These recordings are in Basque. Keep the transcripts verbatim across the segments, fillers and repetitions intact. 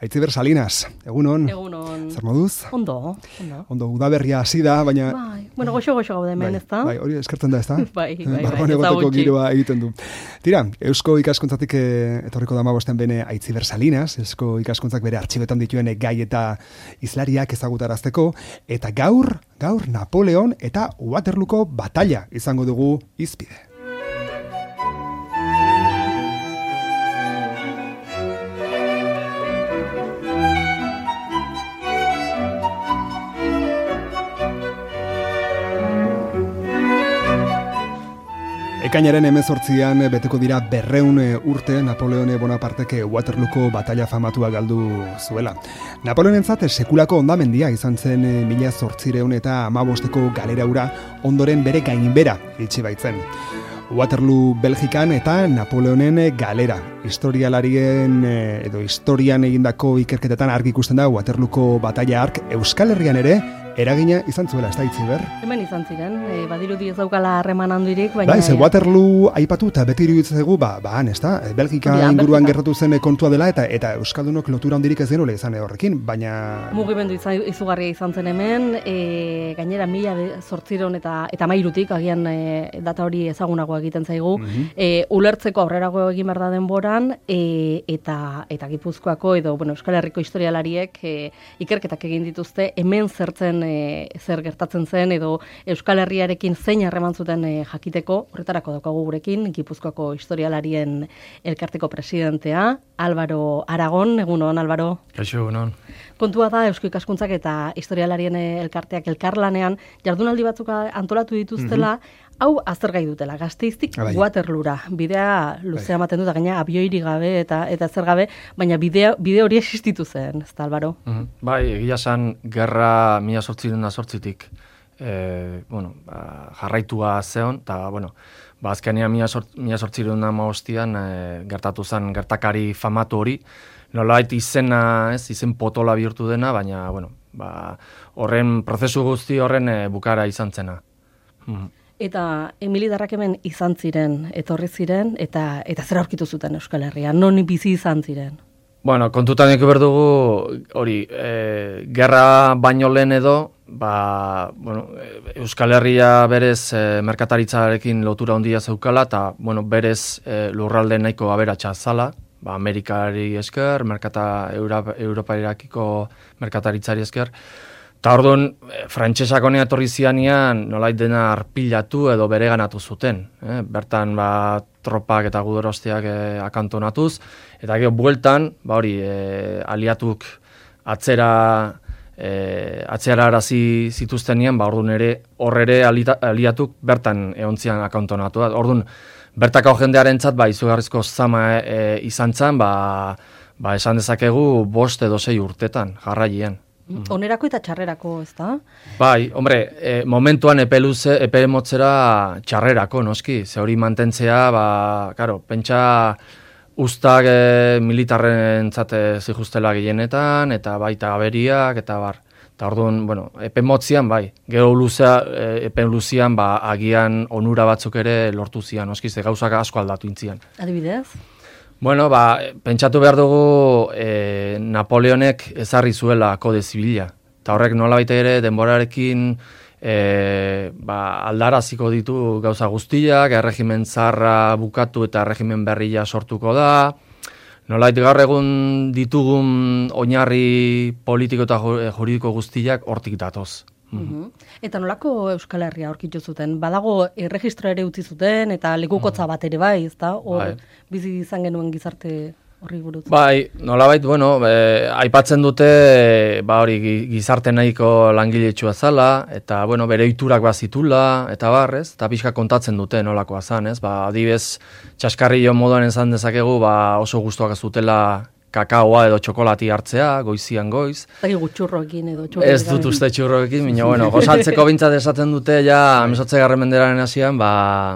Aitziber Salinas, egunon. Egunon. Zer moduz? Ondo, ondo. Ondo, udaberria hasi da, baina... Bai, bueno, goxo-goxo gaude hemen, ez da? Bai, hori eskertzen da, ez da? bai, bai, bai, Barruan egoteko giroa egiten du. Tira, Eusko ikaskuntzatik eh, etorriko da hamabostean bene Aitziber Salinas, Eusko ikaskuntzak bere artxibetan dituen gai eta izlariak ezagutarazteko, eta gaur, gaur Napoleon eta Waterlooko batalla izango dugu hizpide. Ekainaren hemezortzian beteko dira berreun urte Napoleone Bonapartek Waterlooko batalla famatua galdu zuela. Napoleonentzat sekulako hondamendia izan zen mila zortziehun eta hamabosteko galera hura ondoren bere gainbera itxi baitzen. Waterloo Belgikan eta Napoleonen galera. Historialarien edo historian egindako ikerketetan argi ikusten da Waterlooko batalla hark Euskal Herrian ere eragina izan zuela, ez da Aitziber? Hemen izan ziren, e, badirudi ez daukala harreman handirik, baina... Bai, ze Waterloo aipatu eta beti iruditzegu, ba, ba, han, ez da? Belgika ja, inguruan gertatu zen kontua dela, eta eta Euskaldunok lotura handirik ez genuela izan horrekin, baina... Mugimendu izugarria izan zen hemen, e, gainera mila zortziehun eta, eta mairutik, agian e, data hori ezagunagoa egiten zaigu, mm-hmm. e, ulertzeko aurrerago egin behar da denboran, e, eta, eta Gipuzkoako edo bueno, Euskal Herriko historialariek e, ikerketak egin dituzte, hemen zertzen E, zer gertatzen zen edo Euskal Herriarekin zein harreman zuten e, jakiteko, horretarako daukagu gurekin Gipuzkoako historialarien elkarteko presidentea, Álvaro Aragon. Egunon, Álvaro. Kaixo, egunon. Kontua da Eusko ikaskuntzak eta historialarien elkarteak elkarlanean jardunaldi batzuk antolatu dituztela, mm-hmm. hau aztergai dutela, Gasteiztik Waterloora. Bidea luzea ematen dut, gaina abioiri gabe eta eta zer gabe, baina bidea, bide hori existitu zen, ez da, Álvaro? Mm-hmm. Bai, egia zen, gerra mila zortziehun eta zortzitik e, bueno, ba, jarraitua zeon, eta, bueno, ba, azkenean mila zortziehun eta hamabostean e, gertatu zen gertakari famatu hori, nolabait izena, ez, izen potola bihurtu dena, baina, bueno, ba, horren prozesu guzti horren e, bukara izan zena. Mm-hmm. Eta emilidarrak hemen izan ziren, etorri ziren, eta eta zer aurkitu zuten Euskal Herrian, non bizi izan ziren? Bueno, kontutan eko berdugu, hori, e, gerra baino lehen edo, ba, bueno, Euskal Herria berez e, merkataritzarekin lotura handia zeukala, eta, bueno, berez e, lurralde nahiko aberatsa zala, ba, Amerikari esker, merkata, Europa, Europairakiko merkataritzari esker, eta orduan, frantsesak honea etorri zianean nolait dena arpilatu edo bereganatu zuten. Eh? Bertan ba, tropak eta guderosteak eh, akantonatuz, eta gero bueltan, ba hori, eh, aliatuk atzera eh, atzera arazi zituztenean, ba orduan ere, hor ere aliatuk bertan eontzian akantonatu. Orduan, bertako jendearentzat ba, izugarrizko zama eh, izan zen, ba, ba, esan dezakegu bost edo sei urtetan, jarraien. Onerako eta txarrerako, ez da? Bai, hombre, e, momentuan epe luze, epe motzera txarrerako, noski. Ze hori mantentzea, ba, karo, pentsa ustak e, militarren zate zihustela gehienetan, eta baita aberiak, eta bar. Eta orduan, bueno, epe motzian, bai. Gero luzea, e, epe luzian, ba, agian onura batzuk ere lortu zian, noski, ze gauzak asko aldatu intzian. Adibidez? Bueno, ba, pentsatu behar dugu e, Napoleonek ezarri zuela kode zibila. Eta horrek nolabait ere denborarekin e, ba, aldaraziko ditu gauza guztiak, erregimen zarra bukatu eta erregimen berria sortuko da. Nolabait gaur egun ditugun oinarri politiko eta juridiko guztiak hortik datoz. Mm-hmm. Eta nolako Euskal Herria aurkitu zuten? Badago erregistroa ere utzi zuten eta lekukotza bat ere bai, ezta? Hor bai. Bizi izan genuen gizarte horri buruz. Bai, nolabait, bueno, e, aipatzen dute ba hori gizarte nahiko langiletsua zala eta bueno, bere ohiturak bazitula eta bar, ez? Ta pixka kontatzen dute nolakoa zan, ez? Ba, adibez, txaskarrillo moduan esan dezakegu, ba oso gustuak zutela kakaoa edo txokolati hartzea, goizian goiz. Zagi gutxurroekin edo txurroekin. Ez dut uste txurroekin, baina, bueno, gozaltzeko bintzat esaten dute, ja, amesotze garren menderaren hasian, ba,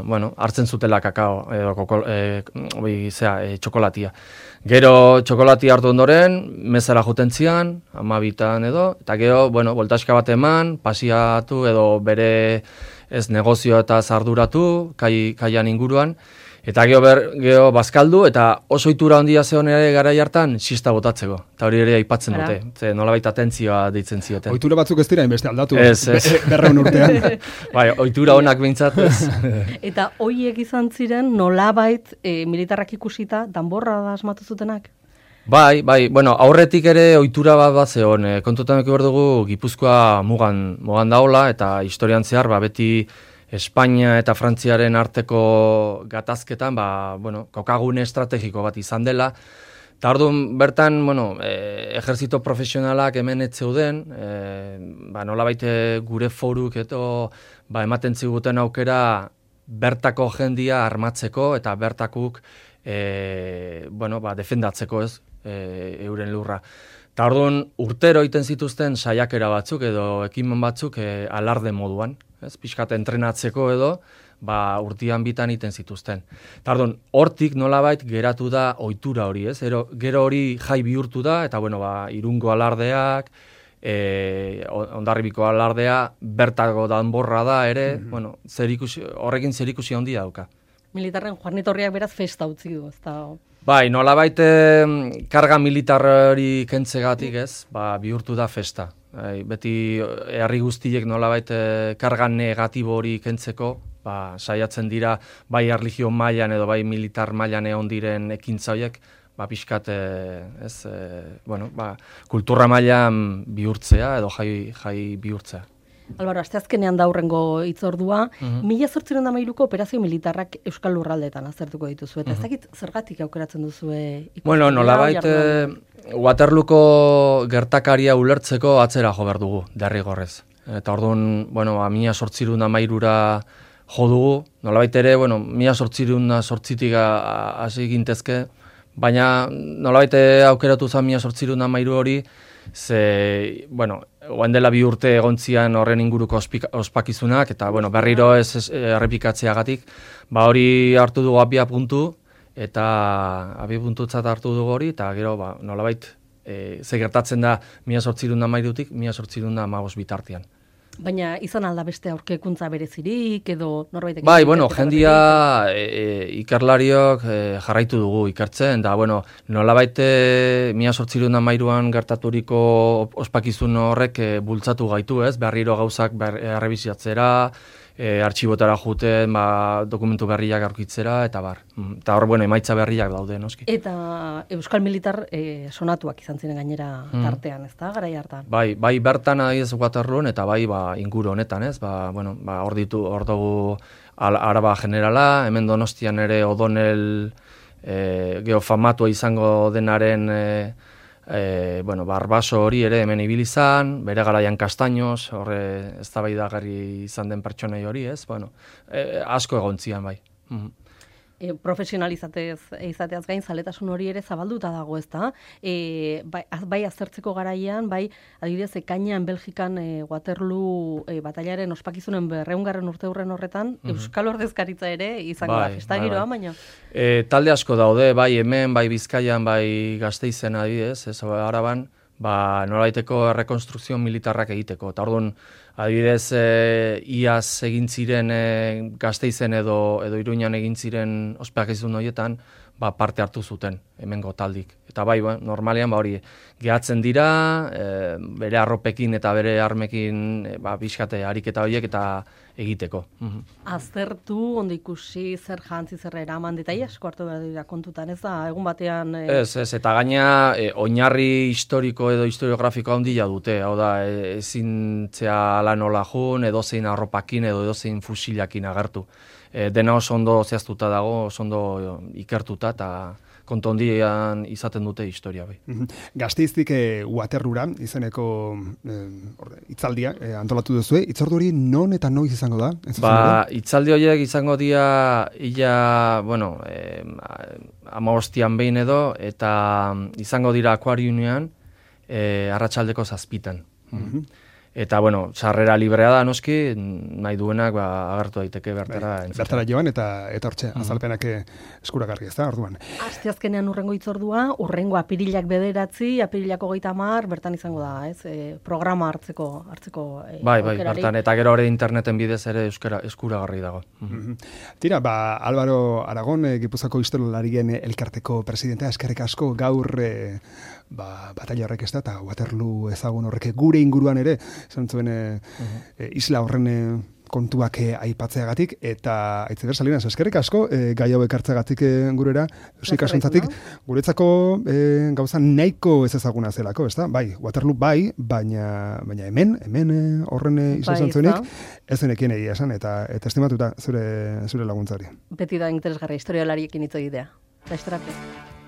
bueno, hartzen zutela kakao, edo koko, e, obi, zera, e, txokolatia. Gero txokolati hartu ondoren, mezara juten zian, amabitan edo, eta gero, bueno, voltaxka bat eman, pasiatu edo bere ez negozio eta zarduratu, kai, kaian inguruan, Eta geho, ber, geho bazkaldu, eta oso ohitura handia zeon ere garai hartan, sista botatzeko. Eta hori ere aipatzen dute. Ze nolabait atentzioa deitzen zioten. Ohitura batzuk ez dira inbeste aldatu. Ez, ez. Be, berreun urtean. Bai, ohitura honak behintzat, ez. Eta hoiek izan ziren nolabait e, militarrak ikusita danborra da asmatu zutenak? Bai, bai, bueno, aurretik ere ohitura bat bat zeon. E, kontutan eki behar dugu, Gipuzkoa mugan, mugan daola, eta historian zehar, ba, beti Espainia eta Frantziaren arteko gatazketan, ba, bueno, kokagune estrategiko bat izan dela. Eta orduan bertan, bueno, e, ejerzito profesionalak hemen ez zeuden, e, ba, nolabait gure foruk eto, ba, ematen ziguten aukera bertako jendia armatzeko eta bertakuk e, bueno, ba, defendatzeko, ez, e, euren lurra. Eta orduan urtero egiten zituzten saiakera batzuk edo ekimen batzuk e, alarde moduan. Ez, pixkat entrenatzeko edo, ba, urtian bitan iten zituzten. Eta orduan, hortik nolabait geratu da ohitura hori, ez? Gero, gero hori jai bihurtu da, eta bueno, ba, Irungo alardeak, e, Hondarribiko alardea, bertako danborra da ere, mm-hmm. bueno, zerikusi, horrekin zerikusi handia dauka. Militarren Juan Etorriak beraz festa utzi du, ez da... Bai, nolabait eh, karga militar hori kentzegatik, ez? Ba, bihurtu da festa. Bai, beti herri guztiek nolabait eh, karga negatibo hori kentzeko, ba, saiatzen dira bai erlijio mailan edo bai militar mailan egon diren ekintza horiek, ba, pixkat, eh, ez, eh, bueno, ba, kultura mailan bihurtzea edo jai, jai bihurtzea. Albaro, asteazkenean da hurrengo hitzordua, Mhm. mila zortziehun eta hamairuko operazio militarrak Euskal Lurraldeetan aztertuko dituzu, eta ez Mhm. dakit zergatik aukeratzen duzue ikusi. Bueno, nolabait eh, Waterlooko gertakaria ulertzeko atzera jo behar dugu, derrigorrez. Eta orduan, bueno, ba, mila zortziehun eta hamairura jo dugu, nolabait ere, bueno, mila zortziehun eta zortzitik hasi gintezke, baina nolabait aukeratu zen mila zortziehun eta hamairu hori, ze, bueno, oen dela bi urte egontzian horren inguruko ospika, ospakizunak, eta bueno, berriro ez, ez errepikatzeagatik, ba hori hartu dugu abia puntu, eta abia puntutzat hartu dugu hori, eta gero, ba, nolabait, e, ze gertatzen da mila zortziehun eta hamairutik, mila zortziehun eta hamabost bitartean. Baina izan alda beste aurkekuntza berezirik, edo norbaitek... Bai, bueno, jendia e, e, ikerlariok e, jarraitu dugu ikertzen, da, bueno, nolabait mila zortziehun eta hamairuan gertaturiko ospakizun horrek e, bultzatu gaitu, ez? Berriro gauzak ber, errebiziatzera, e, artxibotara juten, ba, dokumentu berriak aurkitzera, eta bar. Eta hor, bueno, emaitza berriak daude, noski. Eta Euskal Militar e, sonatuak izan ziren gainera tartean, ez da, garai hartan? Bai, bai bertan adiez Waterloon, eta bai, ba, inguru honetan, ez? Ba, bueno, ba, hor ditu, hor dugu Araba Generala, hemen Donostian ere Odonel e, geofamatua izango denaren e, e, bueno, barbaso hori ere hemen ibilizan, bere garaian Kastaños, horre eztabaidagarri izan den pertsonei hori, ez? Bueno, e, asko egontzian, bai. Mhm. E, profesionalizatez izateaz gain zaletasun hori ere zabalduta dago, ezta? E, bai, az, bai aztertzeko garaian, bai adibidez ekainean Belgikan e, Waterloo e, batailaren ospakizunen berrehungarren urteurren horretan, mm-hmm. Euskal Ordezkaritza ere izango bai, da festa bai, giroa, bai. baina. E, talde asko daude, bai hemen, bai Bizkaian, bai Gasteizen adibidez, ez Araban, ba nolaiteko rekonstrukzio militarrak egiteko. Eta orduan, adibidez, e, iaz egin ziren e, Gasteizen edo edo Iruñan egin ziren ospakizun horietan, ba, parte hartu zuten hemengo taldik. Eta bai, ba, normalean ba hori gehatzen dira, e, bere arropekin eta bere armekin e, ba bizkate ariketa horiek eta egiteko. Mhm. Aztertu, ondo ikusi, zer jantzi, zer eraman, detai asko hartu behar dira kontutan, ez da, egun batean... E... Ez, ez, eta gaina e, oinarri historiko edo historiografiko handia dute, hau da, e, ezin zea lan hola jun, edozein arropakin edo edozein fusilakin agertu. E, dena oso ondo zehaztuta dago, oso ondo ikertuta, eta kontu hondian izaten dute historia bai. Gasteiztik e, Waterloora izeneko e, hitzaldia e, antolatu duzue. Hitzordu hori non eta noiz izango da? Ba, hitzaldi horiek izango dira ia, bueno, e, hamabostian behin edo, eta izango dira Akuariunean e, arratsaldeko zazpitan. Mm-hmm. Eta, bueno, sarrera librea da, noski, nahi duenak ba, agertu daiteke bertara. Bai, bertara joan eta eta hortxe, mm-hmm. azalpenak eskuragarri ez da, orduan. Asteazkenean urrengo hitzordua, urrengo apirilak bederatzi, apirilako hogeita hamar, bertan izango da, ez? E, programa hartzeko hartzeko e, Bai, bai, bertan, eta gero ere interneten bidez ere euskara, eskuragarri dago. Mm-hmm. Tira, ba, Álvaro Aragon, e, Gipuzkoako historialarien elkarteko presidentea, eskerrik asko gaur e, ba, batalla horrek ez da, eta Waterloo ezagun horrek gure inguruan ere, esan zuen e, uh-huh. e, isla horren e, kontuak e, aipatzeagatik, eta Aitziber Salinas, eskerrik asko, e, gai hau ekartzeagatik e, gurera, eusik asuntzatik, guretzako e, gauza nahiko ez ezaguna zelako, ez da? Bai, Waterloo bai, baina, baina hemen, hemen e, horren e, izan bai, zuenik, ez zenekien egia esan, eta, eta estimatuta zure, zure laguntzari. Beti da interesgarri historialariekin hitz egitea. Da,